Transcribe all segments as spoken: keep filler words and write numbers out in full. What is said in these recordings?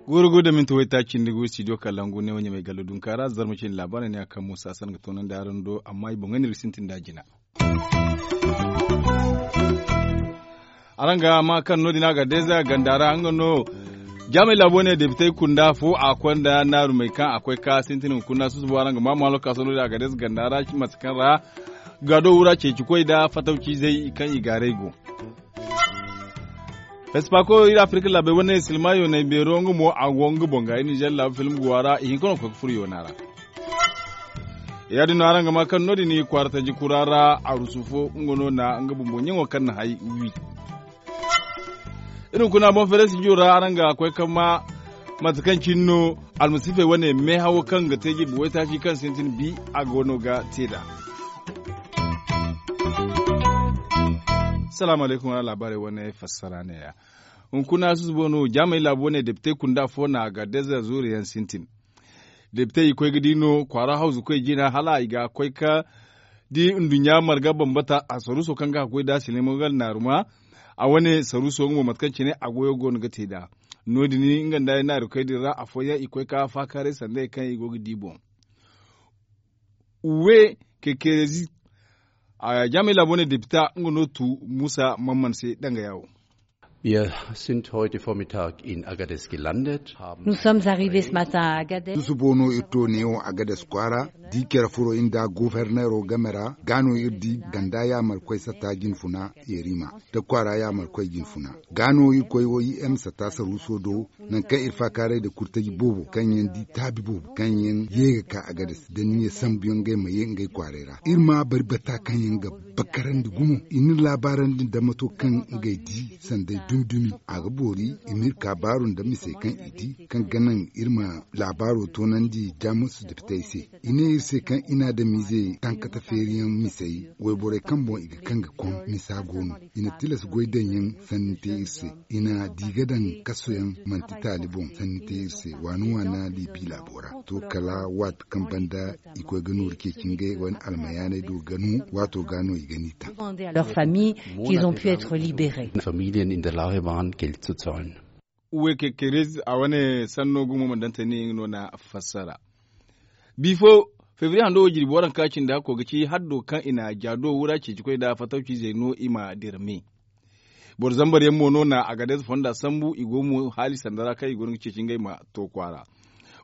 Guuru guuru da minti waytaaci nda guuru studio kalangu ne wo ɲamay gallo dunka ra zarma cine laabaarey ne a kaŋ muusa san ga toonandi araŋ do amma i boŋey no iri ga sintin nd'a jina. Araŋ ga maa kaŋ no- din a ga deeza ganda ra nga no jaamay laabo ne depitey kunda fo a konda naarumey kaŋ a koy ka sintin hunkuna susubo araŋ ga maa maalo ka sohõ no- din a ga deeza ganda ra mate kaŋ ra gaado wura ceeci koy nda fatawciizey kaŋ i gaaray go. Espako iri afirika laabey wane silma yoonay beero nga mo a go nga boŋ ga iri nizer laabu film go a ra i hinka no ga koy ga furo yoona ra. Ya- din no araŋ ga maa kaŋ no- din kwaara taji kura ra arusu fo nga no na nga bumbo ɲaŋo kaŋ na hay wi. Iri hunkuna boŋ feere studio ra araŋ ga koy kaŋ ma mate kaŋ cine no almasiifey wane meehawo kaŋ ga te jirbi waytaaci kaŋ sintin bi a go no ga te nd'a. Salaamu alaykum wala laabaarey wane fassara neeya. Hunkuna susubo no jaamay laabu wane depitey kunda fo na a ga deeza zuuri yaŋ sintin. Depitey i koy ga di no kwaara hawzu koy jina hala i ga koy ka di nduɲɲa marga bambata a saruuso kaŋ ga a ga goy nd'a silimo gal naaruma. A wane saruuso nga mo mate kaŋ cine a goyo go no ga te nd'a. No- din nga nda ay naaru koy din ra afooyaŋ i koy ka faakaaray sanda hari kaŋ i go ga di boŋ. Uwe kekerezi jaamay laabo ne depita nga no tu muusa mamman se danga yaawo. Wir sind heute Vormittag in Agadez gelandet. Nous sommes arrivés ce matin à Agadez. Susubo no iri to neewo Agadez kwaara. Da iri care furo iri nda goforneero game ra ga no iri di ganda yaamarkoy satta jinfuna yerima da kwaara yaamarkoy jinfuna. Ga no iri koy wo im satta saruuso do nangu kaŋ iri faakaaray nda kurtaji boobo kaŋ yaŋ di taabi boobo kaŋ yaŋ ye ga ka agades da niya sambu yaŋ ngey ma ye ngey kwaaray ra iri ma bari bata kaŋ yaŋ ga bakarandi gumo i na iri laabaarandi nda mato kaŋ ngey di sanday dumi dumi. A ga boori i ma iri ka baaru nda misey kaŋ i di kaŋ ga naŋ iri ma laabaaro toonandi jamus depitey se. I ne iri se kaŋ i na adamiizey tankata feeriyaŋ misey wayborey kaŋ boŋ i ga kaŋ ga koŋ misa go no. I na tilas goy daŋ yaŋ sanni te iri se. I na di ga daŋ kasoyaŋ manti taali boŋ sanni te iri se waani waana liibi laabo ra. To kala waati kaŋ banda i koy ga nooru ceeci ngey wane almayaaney do ga no waato ga no i ga ni taŋ. Familien in der Lage waren Geld zu zahlen. Uwe kekerez a wane sanno gumo ma daŋ tani nga no na fassara. Bifo febriye hando wo jirbi waranka cindi hakko ga ci haddo kaŋ i na jaado wura ceeci koy nda fatawciizey no i ma dira me. Boro zambar yaŋ mo no na agadez fonda sambu i go mo haali sanda ra kaŋ i go no ga ceeci ngey ma to kwaara.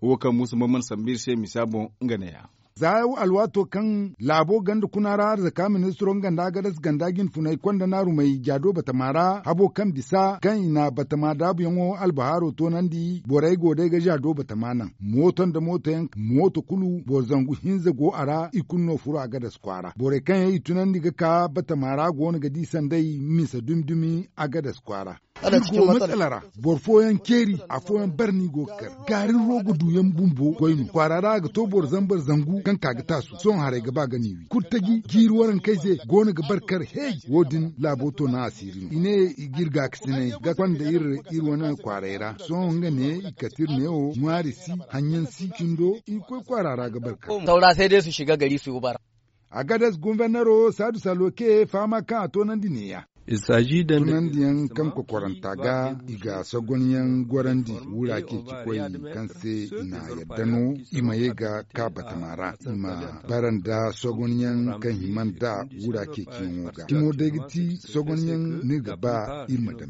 Wo kaŋ muusa mamman sambu iri se misa boŋ nga neeya. Za alwaato kaŋ laabo ganda kuna ra arzaka ministiro nga nda agadez ganda jinfunay konda naarumey jaado batama ra habo kaŋ bisa kaŋ i na batama daabuyaŋo albahaaro toonandi borey go day ga jaado batama naŋ. Mooto nda mootoyaŋ mooto kulu boro zangu hinza go a ra i kulu no furo agadez kwaara borey kaŋ yaŋ i tunandi ga ka batama ra go no ga di sanday misa dumi dumi agadez kwaara. Iri go matsala ra boro fooyaŋ ceeri afooyaŋ barni go ga kar gaarin rogo duyaŋ bumbo goy no kwaara ra a ga to boro zambar zangu kaŋ ka ga taasu sohõ haray ga ba ga ni wi kurtaji jiiri warankey se go no ga bar kar hey. Wo- din laabo to naŋ asiiri no i ne i ga iri gaakasinay ga konda iri iri wane kwaaray ra sohõ nga ne i kate iri neewo ŋwaari si haɲyaŋ si cindo i ga koy kwaara ra ga bar kar. Agades gumfernero saadu saloke fahama kaŋ a toonandi neeya. Tunandiyaŋ kaŋ kokoranta ga i ga sogonyaŋ gorandi wura ceeci koy kaŋ se i na yadda no i ma ye ga ka batama ra i ma bara nda sogonyaŋ kaŋ hima nda wura ceeciyaŋo ga cimo day ga ti sogonyaŋ no iri ga ba iri ma daŋ.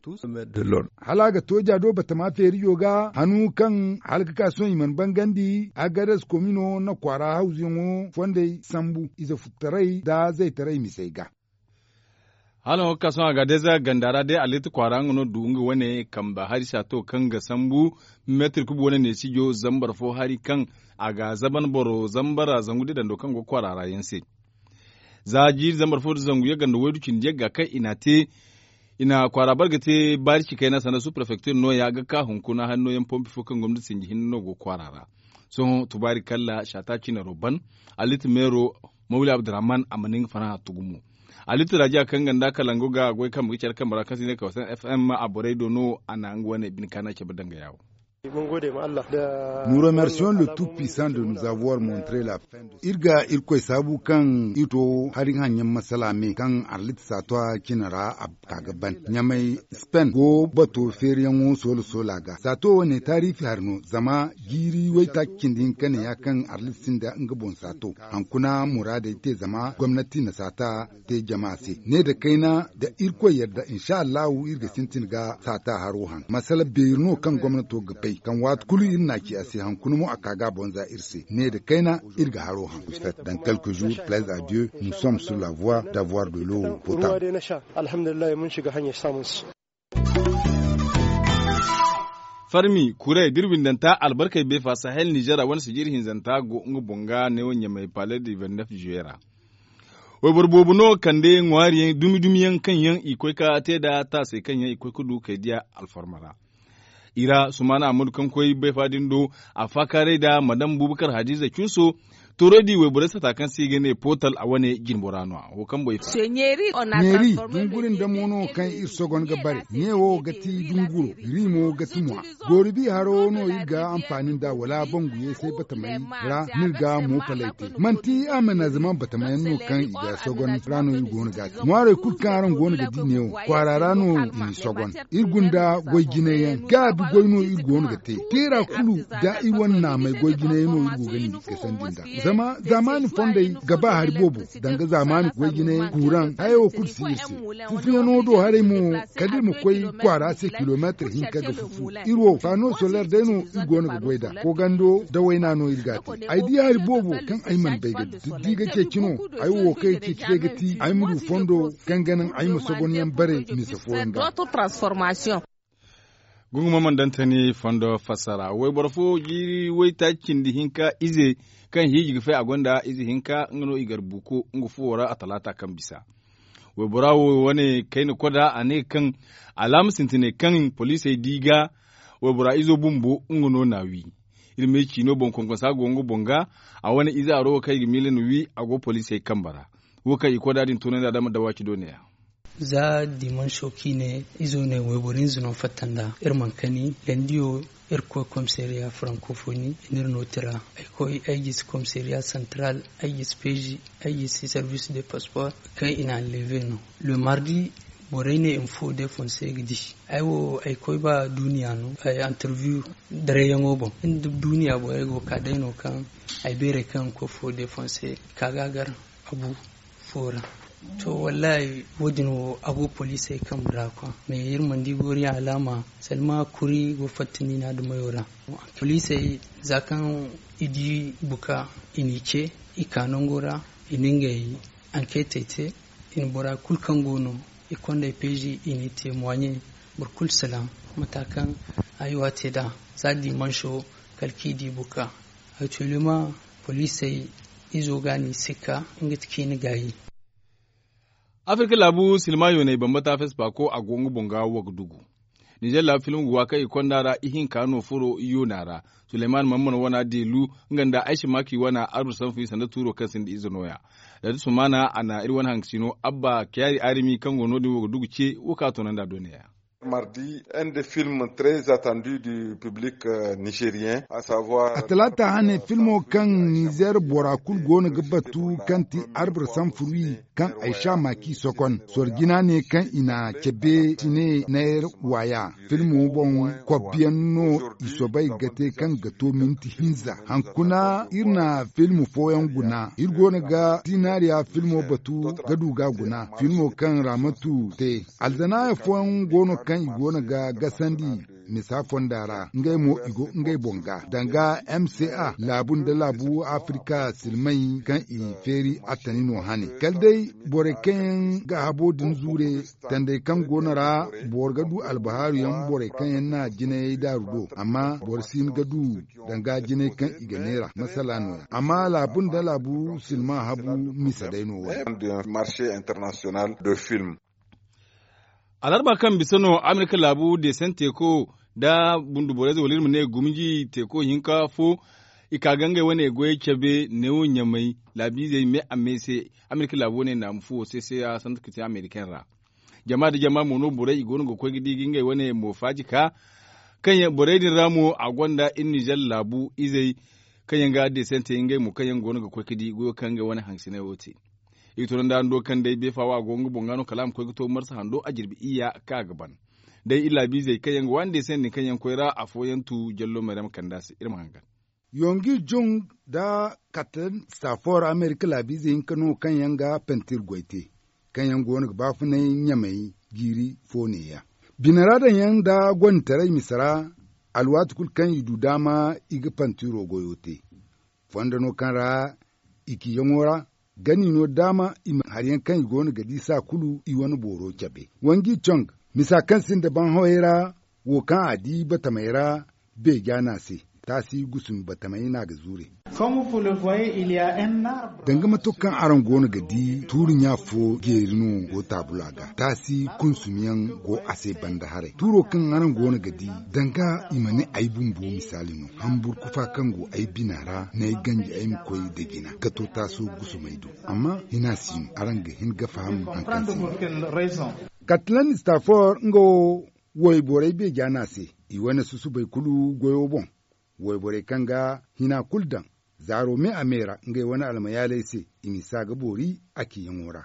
Hala a ga to jaado batama feerijo ga hanu kaŋ hala ga ka sohõ i mana bangandi agares komino na kwaara hawzuyaŋo fondey sambu ize futtaray nda zaytaray misey ga. Hala wo ga ka sohõ a ga deeza ganda ra day alitti kwaara nga no du nga wane kamba hari saato kaŋ ga sambu meetir kubu wane neesijo zambar fo hari kaŋ a ga zaban boro zambara zangu da dando kaŋ go kwaara ra yaŋ se. Za jiiri zambar fo da zangu yagga nda waydu cindi yagga kaŋ i n'a te i na kwaara bare ga te baari ci kayna sanda su prefektir nooya ga ka hunkuna hari nooyaŋ pompi fo kaŋ gomnati sinji hinne no go kwaara ra. Sohõ tubaari kalla saata cinaro ban alitti meero mawli abdurrahman a mana nga fanaha tugu mo. Alitti rajiya kaŋ ganda kalango ga goy kambe ga care kambe ra kaŋ se i ne kawsan fm a borey do no a na nga wane bine kaana cabe danga yaawo. Nous remercions le tout puissant de nous avoir montré la fin de. Iri ga irkoy saabu kaŋ iri to hari hanyaŋ masala me kaŋ arlit saatuwa cine ra a ka ga ban ɲamay spen go bato feeriyaŋo soola soola ga saato wane taariifi hari no zama jiiri waytaaci cindi hinka ne ya kaŋ arlit sinda nga boŋ saato. Hankuna muraadey te zama gomnati na saata te jama se ne nda kayna nda irkoy yadda insa allahu iri ga sintin ga saata haro haŋ masala beeri no kaŋ gomnato ga bay kaŋ waati kulu iri n'a ci a se hankuna mo a ka ga a boŋ za iri se ne nda kayna iri ga haro haŋ. Dans quelques jours plaise à dieu, nous sommes sur la voie d'avoir de l'eau potable. Farmi kuray da iri windanta albarkey beefa sahel nizer a wane sijir hinzanta go nga boŋ ga neewo ɲamay pale de vennef juwe ra. Wayboro boobo no kande ŋwaari yaŋ dumi dumi yaŋ kaŋ yaŋ i koy ka te nd'a taasey kaŋ yaŋ i koy ga du kay diya alfarma ra. I ra sumaana ammadu kaŋ koy bayfa din do a faakaaray nd'a madam bubakar hadiza cuuso. Toorey di wayborey sata kaŋ se i ga ne pootal a wane jinbora no a wo kaŋ boy fa. Neeri dunguri nda mo no kaŋ iri sogon ga bare ne wo ga ti dunguro. Riimo ga ti ŋwa goori bi haro no iri ga anfaani nd'a wala bangu yeesay batamey ra no iri ga mo palay te manti a ma na zama batamayaŋ no kaŋ i ga sogon ra no iri go no ga a te ŋwaarey kulu kaŋ araŋ go no ga di ne wo kwaara ra no i na sogon. Iri gunda goy jinay yaŋ gaabi goy no iri go no ga te teera kulu da iri wane naamey goy jinay no iri go ga ni ga sandi nd'a zama zaamaani fondey ga ba hari boobo danga zaamaani goy jinay kuuraŋ haya wo kulu si iri se. Fufuyaŋo do haray mo kala iri ma koy kwaara se kilomeetir hinka ga fufu iri wo faano soler day no iri go no ga goy nd'a koogando da wayna no iri ga a te. Ay di hari boobo kaŋ ay mana bay ga di ga ceeci no. Ay wo kaŋ ay ceeci day ga ti ay ma du fondo kaŋ ga naŋ ay ma sogonyaŋ bare misa fooyaŋ ga. Gungu ma mana daŋ tani fondo fassara wayboro fo jiiri waytaaci cindi hinka ize kaŋ hiiji ga fay a gonda ize hinka nga no i gar buuko nga fuwo ra a talaata kaŋ bisa. Waybora wo wane kayna koda a ne kaŋ alaama sintinay kaŋ poliisey di ga waybora izo bumbo nga no n'a wi. Iri ma ay ciino boŋ konkonsa go nga boŋ ga a wane ize aro wo kaŋ i ga miila na wi a go poliisey kambe ra. Wo kaŋ i koda din tunandi a dama dawaaci do ne-ya. Za dimanso kaŋ i ne izo ne wayboro hinza no fatta nd'a iri mana kani. Landiyo iri koy komisariya frankofoni i n'iri no tira. Ay koy ay gisi komisariya santaral ay gisi peezi ay gisi servis de pasport kaŋ i na anleve no. Le mardi borey ne i ma fo defonse ga di. Ay wo ay koy ba duuniya no ay antarviyu dareyaŋo boŋ. Duuniya borey go ga ka day no kaŋ ay beeray kaŋ i ma koy fo defonse ka ga a gar abu fo ra. To wallahi wo- din wo a go poliisey kambe ra kwa mais iri mana di gooriyaŋ alaama salma kuri go fatta niina dumayo ra. Poliisey za kaŋ i di buka i n'i ce i ka nango ra i na ngey ankeetey te. I na bora kulu kaŋ go no i kondey peezi i n'i te moiɲe. Boro kulu salaŋ mata kaŋ ay wo a te nd'a za dimanso kala kaŋ i di buka. Actuellement poliisey izo ga a n'i sikka nga ti kaŋ i na gaayi. Afirka laabu silma yoonay bambata fespaako a go nga boŋ ga wagdugu. Nizer laabu film ga wa kaŋ i konda ra ihinka no furo yoona ra. Suleyman mamman wana delu nga nda aysa maki wana arba sanfu i sanda tuuro kaŋ sinda ize nooya. Dadi sumana a na iri wane hankasino abba kayaari arimi kaŋ go no- din wagdugu ce wo ka toonandi a do neeya. Mardi, un des films très attendus du public nigérien, à savoir a talaata hane filmo kaŋ nizer bora kulu go no ga batu kaŋ ti arbre sans fruit kaŋ ay sha ma k'i sokon sorjina ne kaŋ i na cabe tine nayar waya. Filmo boŋ kobbiyaŋ no i soobay ga te kaŋ ga to minti hinza hankuna iri na filmo fooyaŋ guna iri go no ga tinariya filmo batu ga du ga guna filmo kaŋ ramatu te. Alzanaaya fooyaŋ go no kaŋ i go no ga gasandi misa fonda ra ngey mo i go ngey boŋ ga danga m c a laabu nda laabu afirika silmay kaŋ i feeri attani no hane kala day borey kaŋ yaŋ ga habo din zuure tandey kaŋ go no ra boro ga du albahaaru yaŋ borey kaŋ yaŋ na jinayey daaru do amma boro si hin ga du danga jinay kaŋ i ga neera masala nooya amma laabu nda laabu silma habu misa day no wo- marché international de film. Alarba kaŋ bisa no amerika laabu deesan teeko nda bunduborayze wala iri ma ne gumji teeko hinka fo i ka ga ngey wane goyey cabe neewo ɲamay laabiizey me a me se. Amerika laabu wane naamu fuwo seeseya santu ka te amerikaŋ ra jama nda jama mo no borey i go no ga koy ga di ga ngey wane moofaaji ka Kaŋ yaŋ borey din ra mo a gonda iri nizer laabu izey kaŋ yaŋ ga desente ngey mo kaŋ yaŋ go no ga koy ga di goyo kaŋ ngey wane hangasiney wo te. I ga tunandi araŋ do kaŋ day beefa wo a go nga boŋ ga no kala a ma koy ga to marsa hando a jirbi iyya kaŋ a ga ban. Day iri laabiizey kaŋ yaŋ ga waani desente din kaŋ yaŋ koy ra afooyaŋ tu jallo mayrama kande a se iri ma hangan. Yongi jung nda katan stafor amerika laabiizey hinka no kaŋ yaŋ ga pantir goy te kaŋ yaŋ go no ga baafunay ɲamey jiiri fo neeya. Bine ra daŋ yaŋ nda gonditaray mise ra alwaati kulu kaŋ i du daama i ga pantiro goyo te. Fondo no kaŋ ra i ciyaŋo ra gani no daama i ma hari yaŋ kaŋ i go no ga di saa kulu i wane booro cabe. Wanji cong misa kaŋ sinda baŋ hawey ra wo kaŋ a di batamey ra beeja no a se. Taasi gusumi batamey no a ga zuure. Danga mato kaŋ araŋ go no ga di tuuri ɲa fo jeeri no go taabula ga taasi kunsumi yaŋ go a se banda haray tuuro kaŋ araŋ go no ga di danga i ma ne ay bumbo misaali no hamburku fa kaŋ go ay bina ra n'ay ganji ay ma koy da jina ga to taaso gusumey do. Amma hina si no araŋ ga hin ga faham hankan se. Katilan stafor nga wo wayborey beeja no a se i wane susubey kulu goyo boŋ. Wayborey kaŋ ga hina kulu daŋ zaaro me a me ra ngey wane almayaaley se i ma si a ga boori a ciyaŋo ra.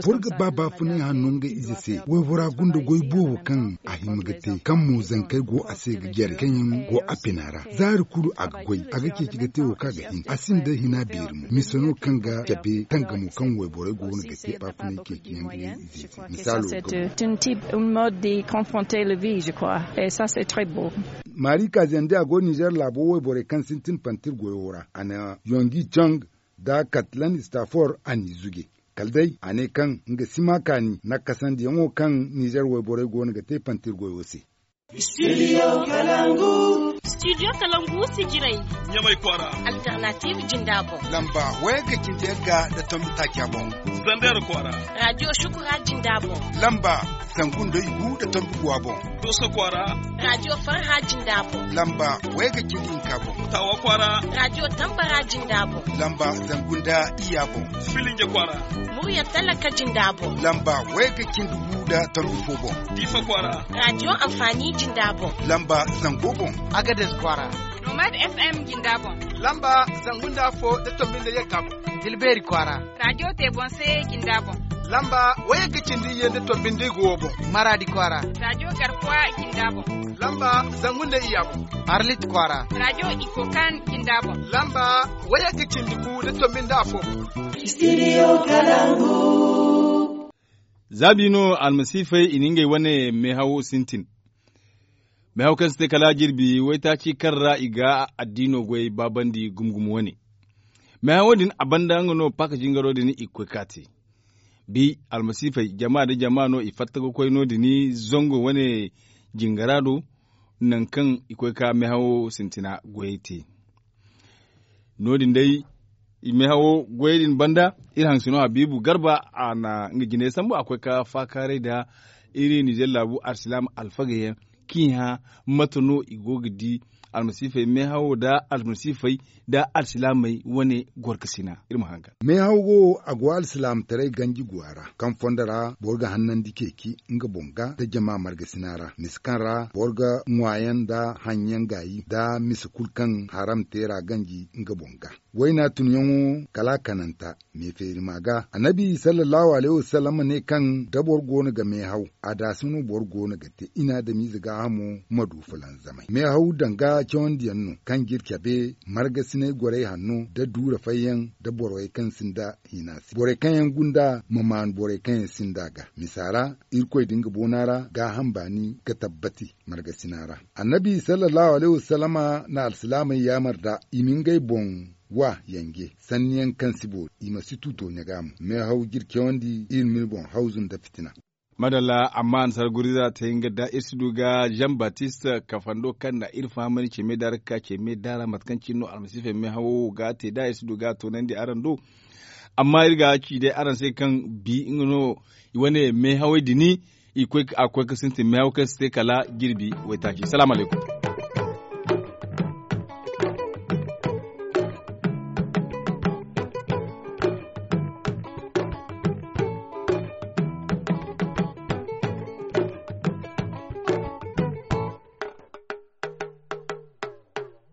Boro ga ba baafunay hanno nga ize se waybora gunda goy boobo kaŋ a hima ga te kaŋ mo zankey go a se ga jare kaŋ yaŋ go a pina ra zaari kulu a ga goy a ga ceeci ga te wo kaŋ a ga hin a sinda hina beeri mo mise no kaŋ ga cabe tangamo kaŋ wayborey go no ga te baafunay ceeci yaŋ ga ne ize se misaalo ga go. Maari kaaziyandi a go nizer laabo wayborey kaŋ sintin pantir goyo ra a na yongi cong da katlan stafor a n'i zuge kala day a ne kaŋ nga si ma kaani nakkasandiyaŋo kaŋ nizer wayborey go no ga te pantir goyo se. Studio kalangu. Studio kalangu si jiray ɲamay kwaara. Alternative jinda boŋ lamba waya ga cindi yaŋ ga da tombi taaca boŋ. Zander kwaara. Radio shukura jinda boŋ lamba zangu nda igu da tombi guwa boŋ. Doso kwaara. Radio farha jinda boŋ lamba waya ga cindi hinka boŋ. Tawa kwaara. Radio tambara jinda boŋ lamba zangu nda iya boŋ. Filinge kwaara. Murya talaka jinda boŋ lamba waya ga cindi gu da tombi fo boŋ. Difa kwaara. Radio amfani jinda boŋ lamba zango boŋ. Agades kwaara. Nomad fm jinda boŋ lamba zangu nda fo da tombi nda yagga boŋ. Tilbeeri kwaara. Radio te boŋ se jinda boŋ lamba waya ga cindi ye nda tombi nda igo boŋ. Maradi kwaara. Radio garkuwa jinda boŋ lamba zangu nda iya boŋ. Arlit kwaara. Radio ikokan jinda boŋ lamba waya ga cindi gu da tombi nda afo boŋ. Studio kalangu. Zaabi no almasiifey i na ngey wane meehawo sintin. Meehaw kaŋ si te kala jirbi waytaaci kaŋ ra i ga addiino goy baabandi gumo-gumo wane. Meehawo din a banda nga no paaka jingaro din i ga koy ka te. Bi almasiifey jama nda jama no i fatta ga koy no- din zango wane jingara do. Nangu kaŋ i koy ka meehawo sintina goyey te. No- din day meehawo goyey din banda iri haŋ si no habiibu garba a na nga jinay sambu a koy ka faakaaray nda iri nizer laabu alsilaama alfagey yaŋ kaŋ i hã mate no i go ga di almasiifey meehawo nda almasiifey nda alsilaamey wane gorkasina. Iri ma haŋ ga meehaw wo a go alsilaamataray ganji guwa ra kaŋ fondo ra boro ga hannandi ceeci nga boŋ ga nda jama margasina ra mise kaŋ ra boro ga ŋwaayaŋ nda haŋyaŋ gaayi nda mise kulu kaŋ haram te ra ganji nga boŋ ga. Wayna tunyaŋo kala a kananta me feeri ma ga annabi sallallahu alayhi wasallam ne kaŋ da boro go no ga meehaw a daasi no boro go no ga te i na adamize gaahamo ma du fulanzamay meehaw danga cawandiyaŋ no kaŋ ga iri cabe margasinay gorey hanno da duura fayyaŋ da borey kaŋ sinda hina se borey kaŋ yaŋ gunda ma maanu borey kaŋ yaŋ sinda ga misa ra irkoy da nga boona ra gaaham baani ga tabbati margasina ra. Annabi sallallahu alayhi wasallama na alsilaamey yaamar da i ma ngey boŋ wa yanje sanniyaŋ kaŋ si boori i ma si tu tooɲa ga mo meehaw ga iri cawandi iri ma iri boŋ hawzu nda fitina. Madalla amma ansar guriza te nga da iri si du ga jean baptiste kafando kaŋ na iri fahamandi ce me da ra ga ka ce me da ra mate kaŋ cine no almasiifey meehawo ga te da iri si du ga a toonandi araŋ do. Amma iri ga ci day araŋ se kaŋ bi nga no i wane meehawey din i koy a koy ga sintin meehaw kaŋ si te kala jirbi waytaaci salaamu alaykum.